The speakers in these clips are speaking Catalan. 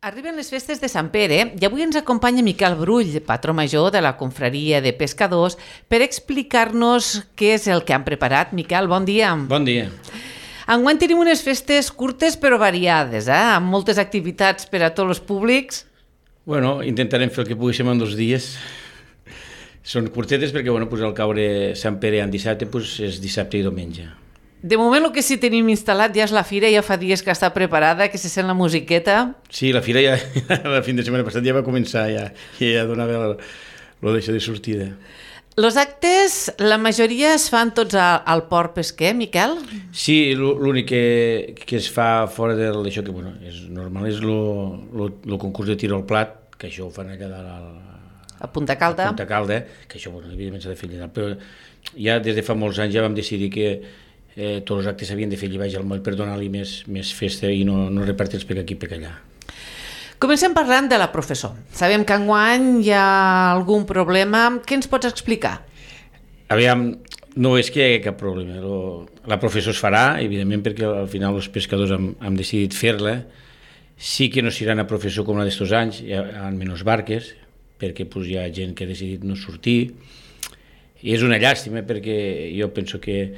Arriben les festes de Sant Pere i avui ens acompanya Miquel Brull, patró major de la confraria de pescadors, per explicar-nos què és el que han preparat. Miquel, bon dia. Bon dia. Enguany tenim unes festes curtes però variades, amb moltes activitats per a tots els públics. Bueno, intentarem fer el que poguéssim en 2 dies. Són curtetes perquè al caure Sant Pere en dissabte és dissabte i diumenge. De moment el que sí tenim instal·lat ja és la fira, ja fa dies que està preparada, que se sent la musiqueta. Sí, la fira ja, el fin de setmana passat ja va començar, ja donava d'això de sortida. Els actes, la majoria es fan tots al port pesquer, Miquel? Sí, l'únic que es fa fora d'això, que és normal, és el concurs de tiro al plat, que això ho fan allà a Punta Calda. A Punta Calda, que això, evidentment s'ha de fer allà, però ja des de fa molts anys ja vam decidir que tots els actes s'havien de fer allà baix al moll per donar-li més festa i no repartir-los per aquí i per allà. Comencem parlant de la professor. Sabem que enguany hi ha algun problema. Què ens pots explicar? Aviam, no és que hi hagi cap problema. La professor es farà, evidentment, perquè al final els pescadors han decidit fer-la. Sí que no seran a professor com la d'estos anys, hi ha menys barques, perquè hi ha gent que ha decidit no sortir. I és una llàstima, perquè jo penso que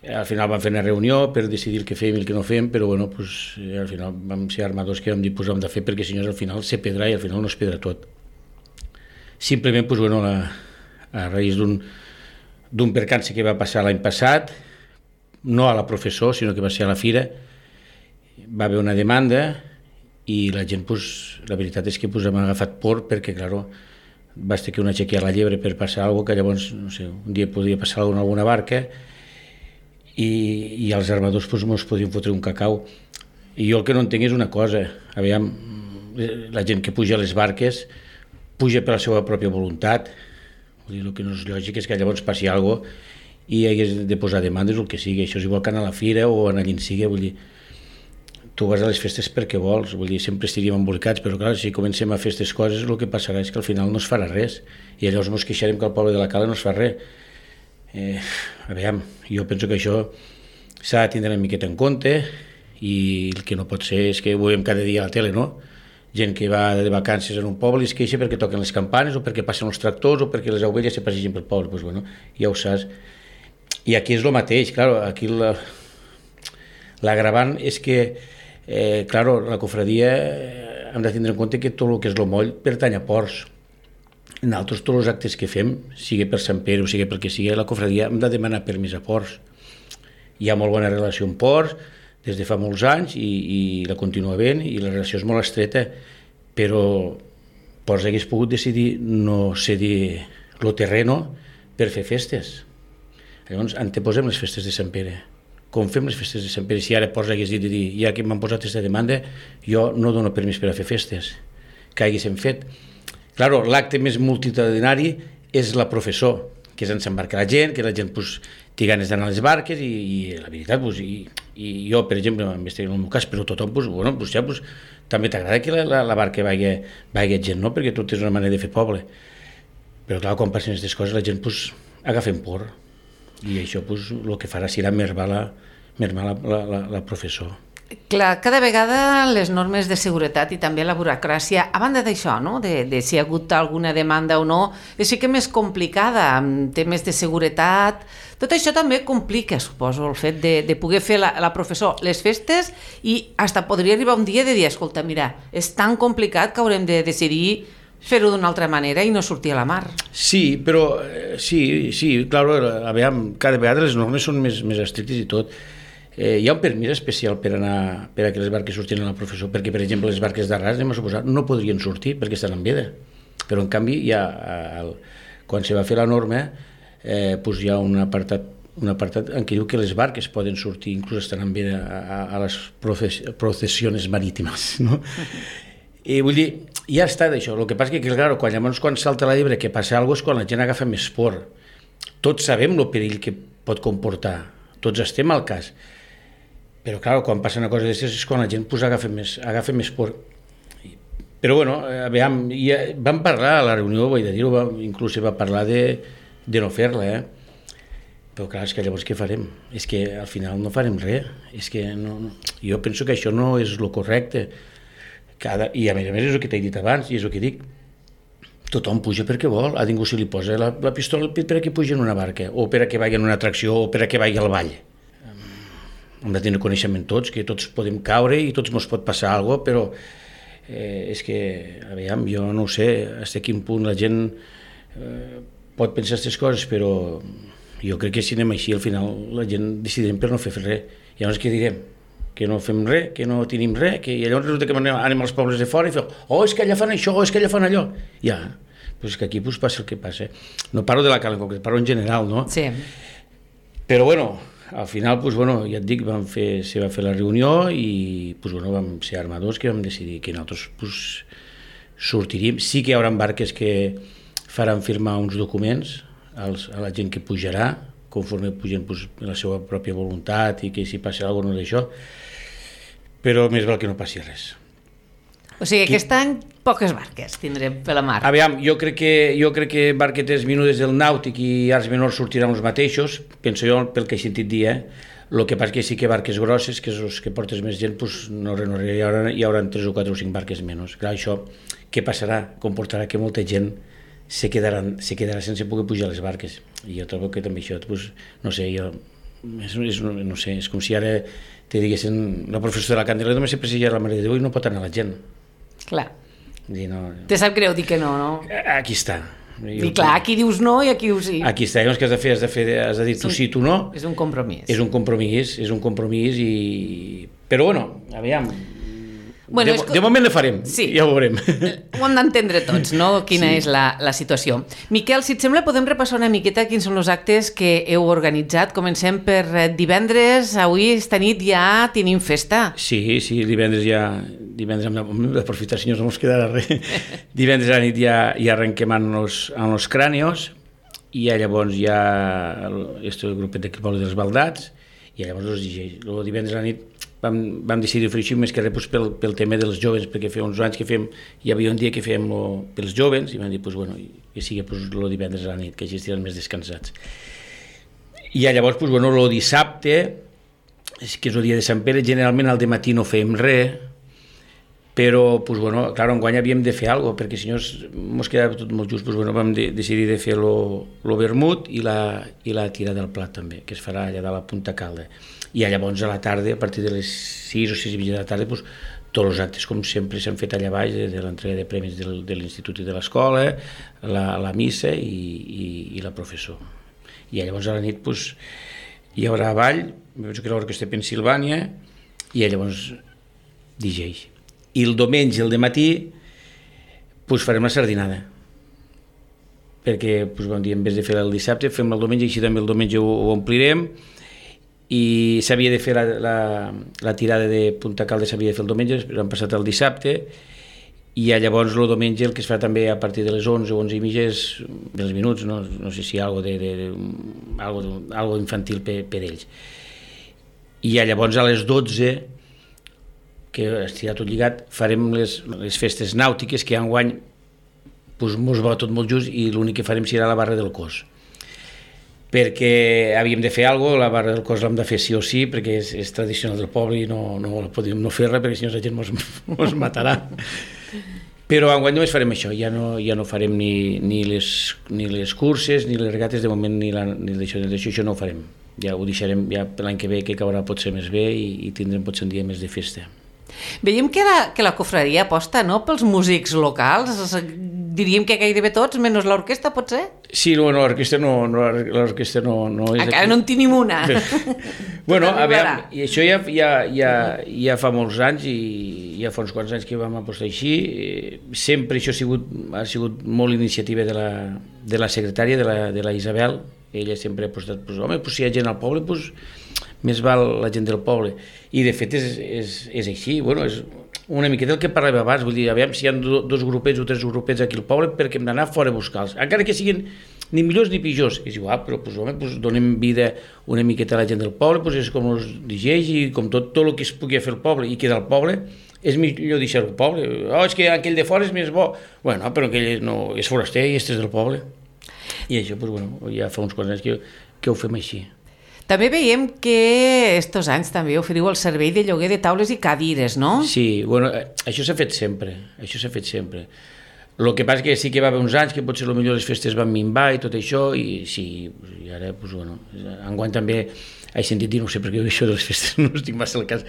al final vam fer una reunió per decidir el que fèiem i el que no fèiem, però al final vam ser armadors que vam dir hem de fer, perquè si no al final se pedrà i al final no es pedra tot. Simplement a raïs d'un percanci que va passar l'any passat, no a la professor, sinó que va ser a la fira, va haver una demanda i la gent, la veritat és que hem agafat por perquè, clar, va estar que una aixequia la llebre per passar alguna cosa, que llavors, no sé, un dia podria passar alguna barca i els armadors ens podien fotre un cacau. I jo el que no entenc és una cosa, aviam, la gent que puja a les barques puja per la seva pròpia voluntat. Vull dir, el que no és lògic és que llavors passi alguna cosa i hagués de posar demandes o el que sigui. Això és igual que anar a la fira o anar allà en sigui, vull dir, tu vas a les festes perquè vols, vull dir, sempre estaríem embolicats, però clar, si comencem a fer aquestes coses el que passarà és que al final no es farà res i llavors ens queixarem que al poble de la Cala no es fa res. Aviam, jo penso que això s'ha de tindre una miqueta en compte i el que no pot ser és que ho veiem cada dia a la tele, no? Gent que va de vacances en un poble i es queixa perquè toquen les campanes o perquè passen els tractors o perquè les ovelles se passegen pel poble, ja ho saps. I aquí és el mateix, clar, aquí l'agravant és que la cofradia hem de tindre en compte que tot el que és el moll pertany a ports. Nosaltres tots els actes que fem, sigui per Sant Pere o sigui pel que sigui, la cofradia hem de demanar permís a ports. Hi ha molt bona relació amb ports des de fa molts anys i la continua havent i la relació és molt estreta, però ports hagués pogut decidir no cedir el terreno per fer festes. Llavors anteposem les festes de Sant Pere. Com fem les festes de Sant Pere? Si ara ports hagués dit, ja que m'han posat aquesta demanda, jo no dono permís per a fer festes, que haguéssim fet. Claro, l'acte més multitudinari és la professor, que és on s'embarca la gent, que la gent té ganes d'anar a les barques i la veritat, i jo, per exemple, en el meu cas, però tothom, també t'agrada que la barca vagi gent, no? Perquè tot és una manera de fer poble. Però clar, quan passen aquestes coses, la gent agafen por i això el que farà serà mermar la professor. Clar, cada vegada les normes de seguretat i també la burocràcia, a banda d'això, no? de si hi ha hagut alguna demanda o no, és sí que més complicada, amb temes de seguretat. Tot això també complica, suposo, el fet de poder fer la professor les festes i fins podria arribar un dia de dir, escolta, mira, és tan complicat que haurem de decidir fer-ho d'una altra manera i no sortir a la mar. Sí, però sí, clar, aviam, cada vegada les normes són més estrictes i tot. Hi ha un permís especial per a que les barques surtin a la professor, perquè, per exemple, les barques d'arràs, anem a suposar, no podrien sortir perquè estan en veda. Però, en canvi, quan se va fer la norma, hi ha un apartat en què diu que les barques poden sortir, inclús estan en veda a les processiones marítimes, no? I vull dir, ja està d'això. El que passa és que, clar, quan salta la llebre que passa alguna cosa és quan la gent agafa més por. Tots sabem el perill que pot comportar, tots estem al cas. Però, clar, quan passa una cosa d'aquestes és quan la gent agafa més por. Però, aviam, vam parlar a la reunió, vull dir-ho, inclús va parlar de no fer-la, Però, clar, és que llavors què farem? És que al final no farem res. És que jo penso que això no és el correcte. I a més és el que t'he dit abans, i és el que dic. Tothom puja perquè vol, a ningú se li posa la pistola al pit per a que puja en una barca, o per a que vagi en una atracció, o per a que vagi al ball. Hem de tenir coneixement tots, que tots podem caure i tots ens pot passar alguna cosa, però és que, aviam, jo no ho sé, fins a quin punt la gent pot pensar aquestes coses, però jo crec que si anem així, al final la gent decidirem per no fer res. I llavors què direm? Que no fem res, que no tenim res, i llavors resulta que anem als pobles de fora i fem, és que allà fan això, és que allà fan allò. Ja, doncs que aquí passa el que passa. No parlo de la Cala en concret, parlo en general, no? Sí. Però bueno, al final, ja et dic, se va fer la reunió i vam ser armadors que vam decidir que nosaltres sortiríem. Sí que hi haurà barques que faran firmar uns documents a la gent que pujarà, conforme pugen la seva pròpia voluntat i que si passa alguna cosa no d'això, però més val que no passi res. O sigui, aquest any poques barques tindrem per la mar. Aviam, jo crec que barquetes menudes del Nàutic i arts menors sortiran els mateixos, penso jo pel que he sentit dir, El que passa que sí que barques grosses, que és els que portes més gent, no res, hi haurà 3 o 4 o 5 barques menys. Clar, això què passarà? Comportarà que molta gent se quedarà sense poder pujar a les barques. I jo trobo que també això, no sé, no sé, és com si ara te diguessin la professora de la Candela només se presseja la Mare de Déu i no pot anar la gent. Clar. No, te sap greu dir que no, no? Aquí està. I clar, aquí dius no i aquí dius sí. Aquí està, llavors que has de dir tu sí, tu no. És un compromís. És un compromís però bueno, aviam, de moment le farem, sí. Ja ho veurem. Ho hem d'entendre tots, no? Quina és la situació. Miquel, si et sembla, podem repassar una miqueta quins són els actes que heu organitzat. Comencem per divendres, avui, esta nit ja tenim festa. Sí, divendres amb l'aprofitar, senyors, no ens quedarà res. Divendres a la nit ja arrenquem en los crànios, i llavors ja el grupet de Poble dels Baldats, i llavors els DJs. Divendres a la nit vam decidir fer així més que res pel tema dels joves, perquè feia uns anys que hi havia un dia que fèiem pels joves, i vam dir, que sigui el divendres a la nit, que així estiran més descansats. I llavors, el dissabte, que és el dia de Sant Pere, generalment al dematí no fèiem res, però, clar, enguany havíem de fer alguna cosa, perquè si no ens quedava tot molt just, vam decidir de fer el vermut i la tirada del plat també, que es farà allà de la Punta Calda. I llavors a la tarda, a partir de les 6 o 6 i mitja de la tarda, tots els actes, com sempre, s'han fet allà baix, de l'entrega de premis de l'institut i de l'escola, la missa i la professor. I llavors a la nit hi haurà ball, penso que l'Orquestra Pensilvània, i llavors DJs. I el diumenge, el dematí, farem la sardinada. Perquè, vam dir, en vez de fer el dissabte, fem el diumenge, i així també el diumenge ho omplirem, i s'havia de fer la tirada de Punta Calda, s'havia de fer el diumenge, però han passat el dissabte, i llavors el diumenge el que es fa també a partir de les 11 o 11 i mitges dels minuts, no sé si algo infantil per ells. I llavors a les 12, que estirà tot lligat, farem les festes nàutiques, que enguany mos va tot molt just, i l'únic que farem serà la barra del cos. Perquè havíem de fer alguna cosa, la barra del cos l'hem de fer sí o sí, perquè és tradicional del poble i no podíem no fer res, perquè si no la gent ens matarà. Però enguany només farem això, ja no farem ni les curses, ni les regates, de moment ni d'això, això no ho farem. Ja ho deixarem l'any que ve, que caurà potser més bé, i tindrem potser un dia més de festa. Veiem que la cofradia aposta, no?, pels músics locals. Diríem que gairebé tots, menys l'orquestra, potser? Sí, l'orquestra no és... Encara no en tenim una. Bueno, aviam, i això ja fa molts anys, i ja fa uns quants anys que vam apostar així. Sempre això ha sigut molt iniciativa de la secretària, de la Isabel. Ella sempre ha apostat, si hi ha gent al poble, més val la gent del poble. I de fet és així, és una miqueta el que parlàvem abans, vull dir, aviam si hi ha 2 grupets o 3 grupets aquí al poble, perquè hem d'anar fora a buscar-los, encara que siguin ni millors ni pitjors, és igual, però donem vida una miqueta a la gent del poble, és com els DJs i com tot el que es pugui fer al poble i que del poble és millor deixar-ho al poble. És que aquell de fora és més bo. Bueno, però aquell no, és foraster i este és del poble. I això, ja fa uns quants anys que ho fem així. També veiem que estos anys també oferiu el servei de lloguer de taules i cadires, no? Sí, bueno, això s'ha fet sempre, El que passa que sí que va haver uns anys que potser millor les festes van minvar i tot això, i sí, i ara, doncs, bueno, enguany també he sentit dir, no sé per què això de les festes no estic massa al cas,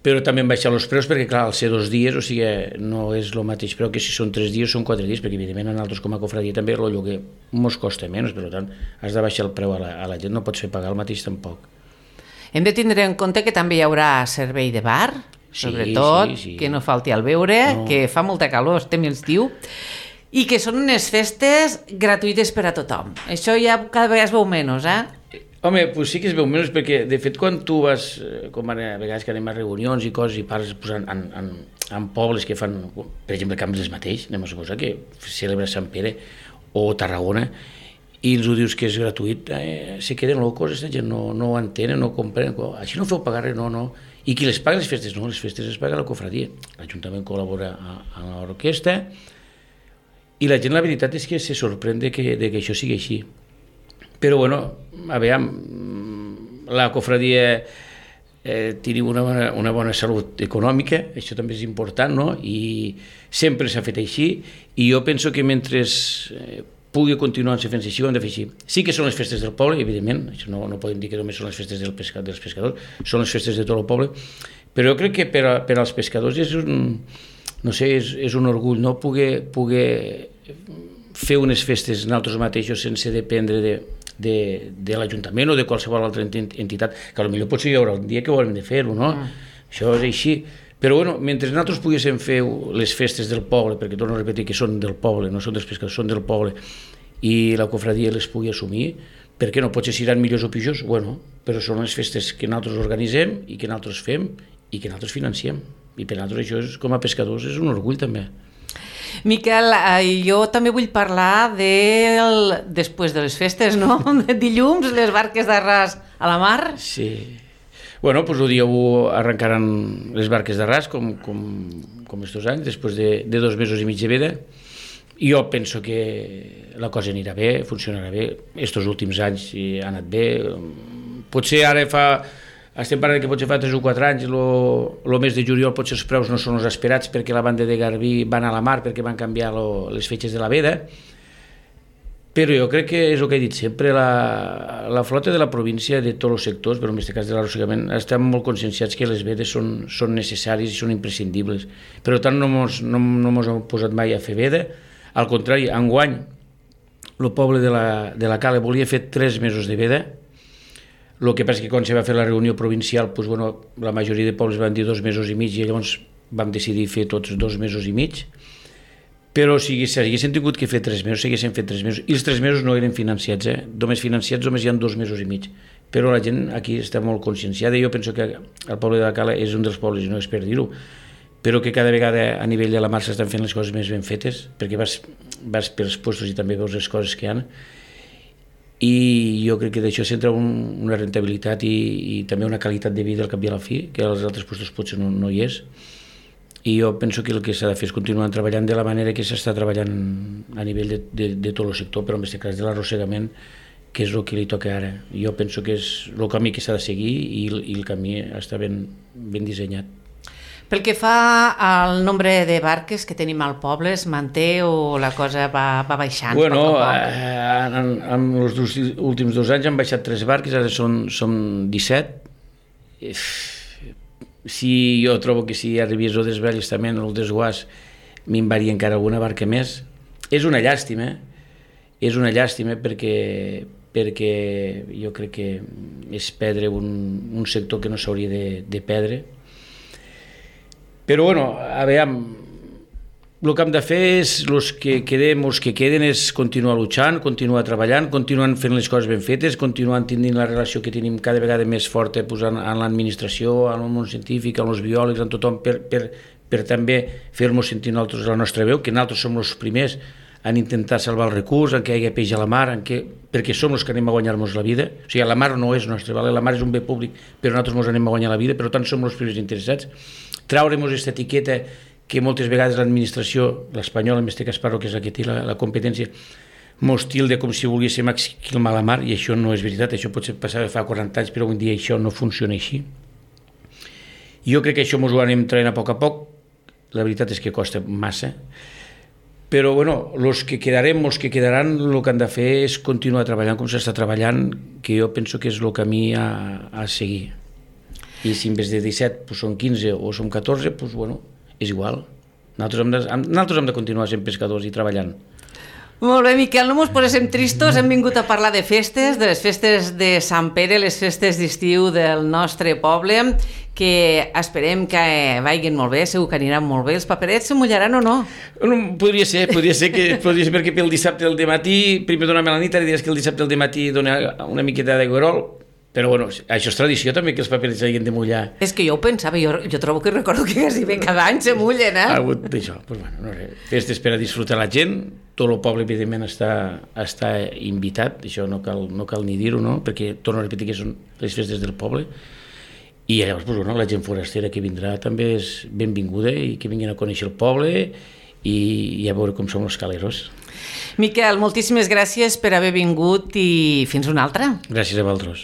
però també han baixat els preus perquè, clar, al ser 2 dies, o sigui, no és el mateix preu que si són 3 dies són 4 dies, perquè evidentment a nosaltres com a cofradia també el lloguer ens costa menys, per tant has de baixar el preu a la gent, no pots fer pagar el mateix tampoc. Hem de tindre en compte que també hi haurà servei de bar, sobretot, sí. Que no falti el beure, no. Que fa molta calor, estem a l'estiu, i que són unes festes gratuïtes per a tothom. Això ja cada vegada es veu menys, Home, pues sí que es veu menys, perquè de fet quan tu vas, com a vegades que anem a reunions i coses i parles en pobles que fan, per exemple, Cambrils mateix, anem a suposar que celebra Sant Pere o Tarragona, i els ho dius que és gratuït, se queden locos, aquesta gent no ho entenen, no ho comprenen, així no feu pagar res, no. I qui les paga les festes? No, les festes les paga la cofradia. L'Ajuntament col·labora amb l'orquestra i la gent, la veritat és que se sorprèn de que això sigui així. Però, bueno, a veure, la cofradia tenim una bona salut econòmica, això també és important, no? I sempre s'ha fet així, i jo penso que mentre pugui continuar fent-se així, ho hem de fer així. Sí que són les festes del poble, evidentment, això no podem dir que només són les festes dels pescadors, són les festes de tot el poble, però jo crec que per als pescadors és un orgull, no? Poder fer unes festes nosaltres mateixos sense dependre de l'Ajuntament o de qualsevol altra entitat, que potser potser hi haurà un dia que ho haurem de fer-ho, no? Això és així. Però bueno, mentre nosaltres poguéssim fer les festes del poble, perquè torno a repetir que són del poble, no són dels pescadors, són del poble, i la cofradia les pugui assumir, per què no? Potser seran millors o pitjors? Bueno, però són les festes que nosaltres organitzem i que nosaltres fem i que nosaltres financiem. I per nosaltres això, com a pescadors, és un orgull també. Miquel, jo també vull parlar després de les festes, no? Dilluns, les barques d'arràs a la mar. Sí. Bueno, doncs el dia 1 arrencaran les barques d'arràs, com estos anys, després de 2 mesos i mig de veda. I jo penso que la cosa anirà bé, funcionarà bé. Estos últims anys ha anat bé. Potser ara estem parlant que potser fa 3 o 4 anys, el mes de juliol potser els preus no són els esperats perquè la banda de Garbí van a la mar perquè van canviar les fetges de la veda, però jo crec que és el que he dit sempre, la flota de la província de tots els sectors, però en aquest cas de l'arrossegament, estem molt conscienciats que les vedes són necessàries i són imprescindibles. Per tant, no mos hem posat mai a fer veda, al contrari, enguany el poble de la Cala volia fer 3 mesos de veda. El que passa és que quan se va fer la reunió provincial, doncs, bueno, la majoria de pobles van dir 2 mesos i mig i llavors vam decidir fer tots 2 mesos i mig. Però si haguéssim tingut que fer 3 mesos, s'haguessin fet 3 mesos. I els 3 mesos no eren financiats, Només financiats només hi ha 2 mesos i mig. Però la gent aquí està molt conscienciada i jo penso que el poble de la Cala és un dels pobles, i no és per dir-ho, però que cada vegada a nivell de la mar s'estan fent les coses més ben fetes, perquè vas pels puestos i també veus les coses que hi ha. I jo crec que d'això s'entra una rentabilitat i també una qualitat de vida al cap i a la fi, que als altres puestos potser no hi és. I jo penso que el que s'ha de fer és continuar treballant de la manera que s'està treballant a nivell de tot el sector, però en aquest cas de l'arrossegament, que és el que li toca ara. Jo penso que és el camí que s'ha de seguir i el camí està ben dissenyat. Pel que fa al nombre de barques que tenim al poble, es manté o la cosa va baixant? Bueno, en els últims 2 anys han baixat 3 barques, ara són 17. Si jo trobo que si arribés el desballestament o el desguàs minvaria encara alguna barca més. És una llàstima perquè jo crec que és perdre un sector que no s'hauria de perdre. Però bueno, a veure, el que hem de fer és els que queden és continuar luchant, continuar treballant, continuant fent les coses ben fetes, continuant tenint la relació que tenim cada vegada més forta posant en l'administració, en el món científic, en els biòlegs, en tothom, per també fer-nos sentir nosaltres la nostra veu, que nosaltres som els primers en intentar salvar el recurs, en què hi hagi peix a la mar, perquè som els que anem a guanyar-nos la vida. O sigui, la mar no és nostra, la mar és un bé públic, però nosaltres ens anem a guanyar la vida, per tant som els primers interessats. Traurem aquesta etiqueta que moltes vegades l'administració, l'espanyola, en aquest cas parlo que és la que té la competència, estil de com si volguéssim aquí al Malamar, i això no és veritat, això potser passava fa 40 anys, però avui dia això no funciona així. Jo crec que això ens ho anem traient a poc, la veritat és que costa massa, però bueno, els que quedaran, el que han de fer és continuar treballant com s'està treballant, que jo penso que és el camí a seguir. I si en vez de 17 pues, són 15 o són 14, pues, bueno, és igual. Nosaltres hem de continuar sent pescadors i treballant. Molt bé, Miquel, no mos posem tristos, hem vingut a parlar de festes, de les festes de Sant Pere, les festes d'estiu del nostre poble, que esperem que vagin molt bé, segur que aniran molt bé. Els paperets se mullaran o no? Podria ser perquè pel dissabte al dematí, primer dona'm la nit, ara diries que el dissabte al dematí dona una miqueta de guerol, però bueno, això és tradició també, que els paperets s'hagin de mullar. És que jo ho pensava, jo trobo que recordo que quasi bé cada any se mullen, Ha hagut d'això, doncs bueno, no sé, festes per a disfrutar la gent, tot el poble evidentment està invitat, això no cal ni dir-ho, no? Perquè torno a repetir que són les festes del poble, i llavors doncs, bueno, la gent forastera que vindrà també és benvinguda i que vinguin a conèixer el poble i a veure com som els caleros. Miquel, moltíssimes gràcies per haver vingut i fins una altra. Gràcies a vosaltres.